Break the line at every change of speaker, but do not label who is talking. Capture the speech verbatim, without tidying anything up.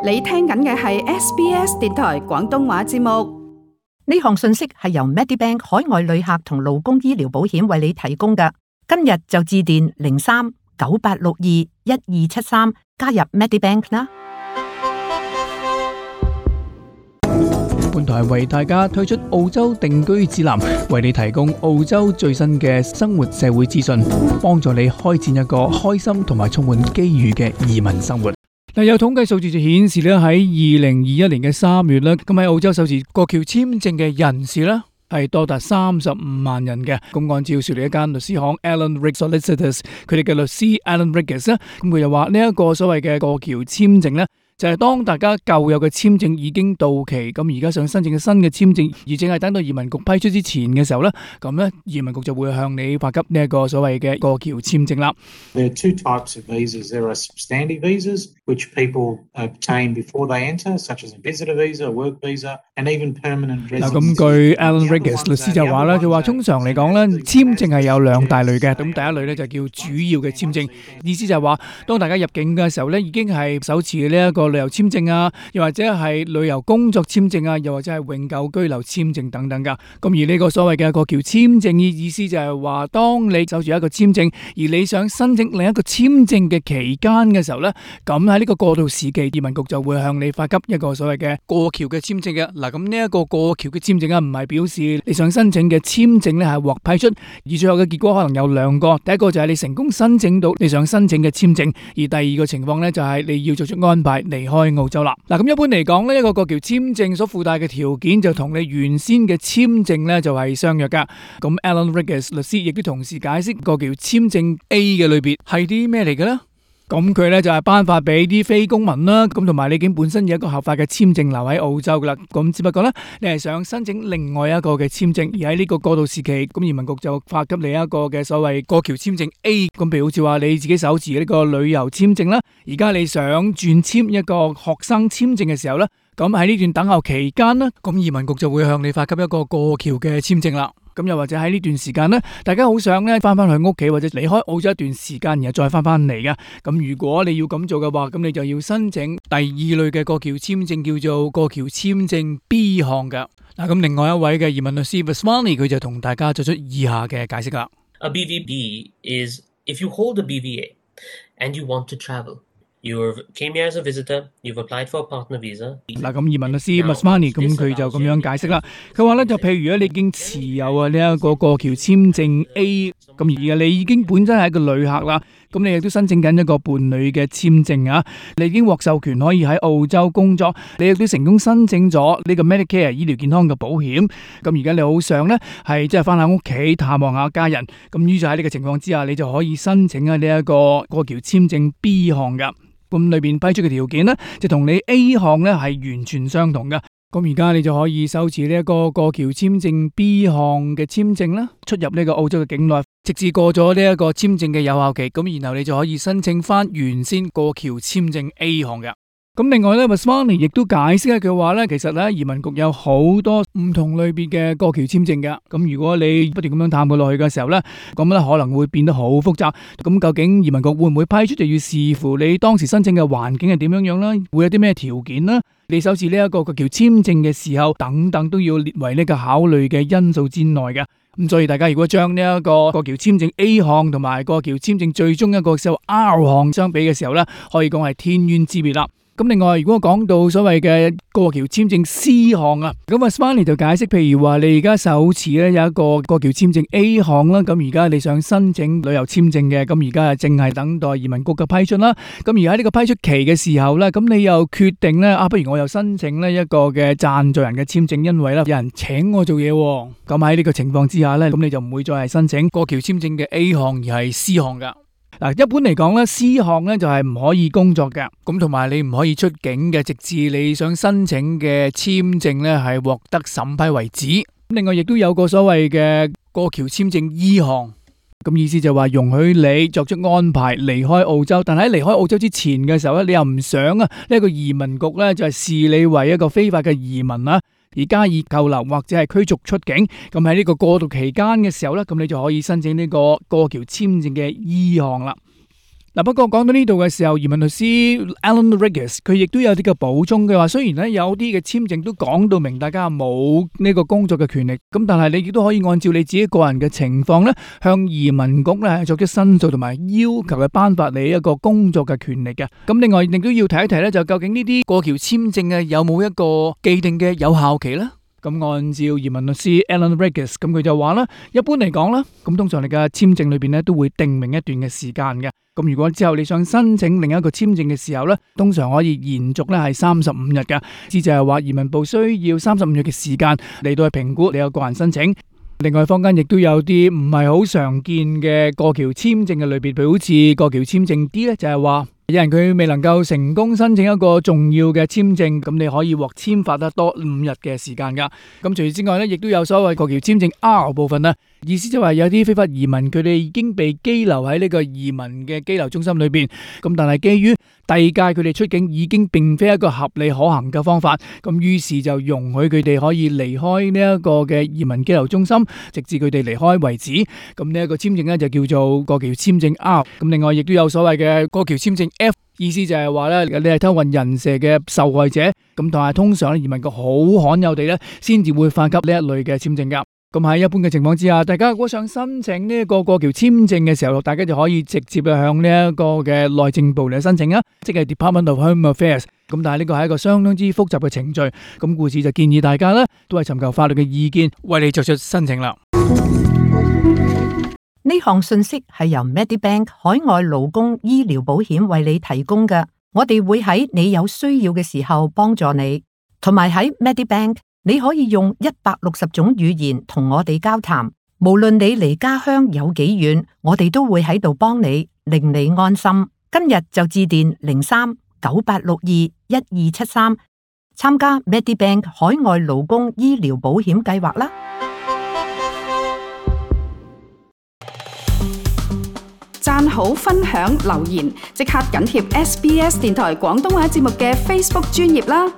你聽緊嘅係 S B S 電台廣東話節目。
呢項信息係由 Medibank 海外旅客同勞工醫療保險為你提供嘅。今日就致電零三九八六二一二七三加入 Medibank 啦。
本台為大家推出澳洲定居指南，為你提供澳洲最新嘅生活社會資訊，幫助你開展一個開心同埋充滿機遇嘅移民生活。嗱，有統計數字就顯示咧，喺二零二一年嘅三月咧，咁喺澳洲首次過橋簽證嘅人士咧係多達三十五萬人嘅。咁按照雪梨一間律師行 Alan Riggs Solicitors 佢哋嘅律師 Alan Riggs 咧，咁佢就話呢一個所謂嘅過橋簽證咧，就係當大家舊有嘅簽證已經到期，咁而家想申請嘅新嘅簽證，而淨係等到移民局批出之前嘅時候咧，咁咧移民局就會向你發給呢一個所謂嘅過橋簽證啦。
There are two types of visas. There are substantive visas, which people obtain before they enter, such as a visitor visa, a work visa, and even permanent residency.
嗱，咁據 Alan Riggs 律師就話啦，佢話通常嚟講咧，簽證係有兩大類嘅。咁第一類咧就叫主要嘅簽證，意思就係話，當大家入境嘅時候咧，已經係手持呢一個旅遊簽證啊，又或者係旅遊工作簽證啊，又或者係永久居留簽證等等噶。咁而呢個所謂嘅過橋簽證嘅意思就係話，當你守住一個簽證，而你想申請另一個簽證嘅期間嘅時候咧，咁喺呢個過渡時期，移民局就會向你發給一個所謂嘅過橋嘅簽證嘅。嗱，咁呢一個過橋嘅簽證啊，唔係表示你想申請嘅簽證咧係獲批出，而最後嘅結果可能有兩個。第一個就係你成功申請到你想申請嘅簽證，而第二個情況咧就係你要作出安排離開澳洲啦。嗱，咁一般嚟講呢一個過橋簽證所附帶嘅條件就同你原先嘅簽證咧就係相若噶。咁 Alan Riggs 律師亦都同時解釋過橋簽證 A 嘅類別係啲咩嚟嘅咧？咁佢咧就係頒發俾啲非公民啦，咁同埋你已經本身有一個合法嘅簽證留喺澳洲噶啦，咁只不過咧你係想申請另外一個嘅簽證，而喺呢個過渡時期，咁移民局就發給你一個嘅所謂過橋簽證 A， 咁譬如好似話你自己手持呢個旅遊簽證啦，而家你想轉簽一個學生簽證嘅時候咧，咁喺呢段等候期間咧，咁移民局就會向你發給一個過橋嘅簽證啦。咁又或者喺呢段時間呢，大家好想咧翻翻去屋企或者離開澳洲一段時間，然後再翻翻嚟嘅。咁如果你要咁做嘅話，咁你就要申請第二類嘅過橋簽證，叫做過橋簽證 B 項嘅。嗱，咁另外一位嘅移民律師 Vasmani 佢就同大家作出以下嘅解釋啦。
A B V B is if you hold a B V A and you want to travel.You came here as a visitor. You've applied for a partner visa.
嗱，咁移民律師 Masmani 咁佢就咁樣解釋啦。佢話咧就譬如咧你已經持有啊呢一個過橋簽證 A， 咁而你已經本身係一個旅客啦，咁你亦都申請緊一個伴侶嘅簽證啊，你已經獲授權可以喺澳洲工作，你亦都成功申請咗呢個 Medicare 醫療健康嘅保險。咁而家你好想咧係即係翻下屋企探望下家人，咁於就喺呢個情況之下，你就可以申請啊呢一個過橋簽證 B 項噶。咁裏邊批出嘅條件呢，就同你 A 項呢係完全相同嘅。咁而家你就可以手持呢一個過橋簽證 B 項嘅簽證啦，出入呢個澳洲嘅境內，直至過咗呢一個簽證嘅有效期，咁然後你就可以申請翻原先過橋簽證 A 項嘅。咁另外咧 Vasmani 亦都解釋咧，佢話咧其實咧移民局有好多唔同類別嘅過橋簽證嘅。咁如果你不斷咁樣探過落去嘅時候咧，咁咧可能會變得好複雜。咁究竟移民局會唔會批出，就要視乎你當時申請嘅環境係點樣樣啦，會有啲咩條件啦，你手持呢一個過橋簽證嘅時候等等都要列為呢個考慮嘅因素之內嘅。咁所以大家如果將呢一個過橋簽證 A 項同埋過橋簽證最終一個叫 R 項相比嘅時候咧，可以講係天淵之別啦。咁另外，如果講到所謂嘅過橋簽證 C 項啊，咁啊 Smiley 就解釋，譬如話你而家手持咧有一個過橋簽證 A 項啦，咁而家你想申請旅遊簽證嘅，咁而家啊淨係等待移民局嘅批出啦。咁而喺呢個批出期嘅時候咧，咁你又決定咧啊，不如我又申請呢一個嘅贊助人嘅簽證，因為咧有人請我做嘢。咁喺呢個情況之下咧，咁你就唔會再係申請過橋簽證嘅 A 項，而係 C 項噶。嗱，一般嚟講咧 ，C 項咧就係唔可以工作嘅，咁同埋你唔可以出境嘅，直至你想申請嘅簽證咧係獲得審批為止。另外，亦都有個所謂嘅過橋簽證 E 項，咁意思就話容許你作出安排離開澳洲，但喺離開澳洲之前嘅時候咧，你又唔想啊呢一個移民局咧就係視你為一個非法嘅移民啦，而加以扣留或者係驅逐出境。咁喺呢個過渡期間嘅時候咧，咁你就可以申請呢個過橋簽證嘅 E 項啦。嗱，不過講到呢度嘅時候，移民律師 Alan Regis 佢亦都有啲嘅補充嘅話，雖然咧有啲嘅簽證都講到明，大家冇呢個工作嘅權利，咁但係你亦都可以按照你自己個人嘅情況咧，向移民局咧作出申訴同埋要求嘅頒發你一個工作嘅權利嘅。咁另外亦都要提一提咧，就究竟呢啲過橋簽證嘅有冇一個既定嘅有效期咧？咁按照移民律師 Alan Regis， 咁佢就話啦，一般嚟講啦，咁通常你嘅簽證裏邊咧都會定明一段嘅時間嘅。咁如果之後你想申請另一個簽證嘅時候咧，通常可以延續咧係三十五日嘅，即就係話移民部需要三十五日嘅時間嚟到去評估你有個人申請。另外坊間亦都有啲唔係好常見嘅過橋簽證嘅類別，譬如好似過橋簽證 D 咧，就係話有人佢未能夠成功申請一個重要嘅簽證，咁你可以獲簽發得多五日嘅時間噶。咁除此之外咧，亦都有所謂過橋簽證 R 部分啦，意思就係有啲非法移民佢哋已經被羈留喺呢個移民嘅羈留中心裏邊，咁但係基於第二屆佢哋出境已經並非一個合理可行嘅方法，咁於是就容許佢哋可以離開呢一個嘅移民羈留中心，直至佢哋離開為止。咁呢一個簽證咧就叫做過橋簽證 R。咁另外亦都有所謂嘅過橋簽證 F， 意思就係話咧你係偷運人蛇嘅受害者，咁但係通常移民局好罕有地咧先至會發給呢一類嘅簽證噶。咁喺一般嘅情況之下，大家如果想申請呢一個過橋簽證嘅時候，大家就可以直接向呢一個嘅內政部嚟申請啊，即係 Department of Home Affairs。咁但係呢個係一個相當之複雜嘅程序，咁故此就建議大家咧都係尋求法律嘅意見，為你作出申請啦。
呢項信息係由 Medibank 海外勞工醫療保險為你提供嘅，我哋會喺你有需要嘅時候幫助你，同埋喺 Medibank。你可以用一百六十種語言同我哋交談，無論你離家鄉有幾遠，我哋都會喺度幫你，令你安心。今日就致電零三九八六二一二七三，參加 Medibank 海外勞工醫療保險計劃啦。
讚好、分享、留言，即刻緊貼 S B S 電台廣東話節目嘅 Facebook 專頁啦！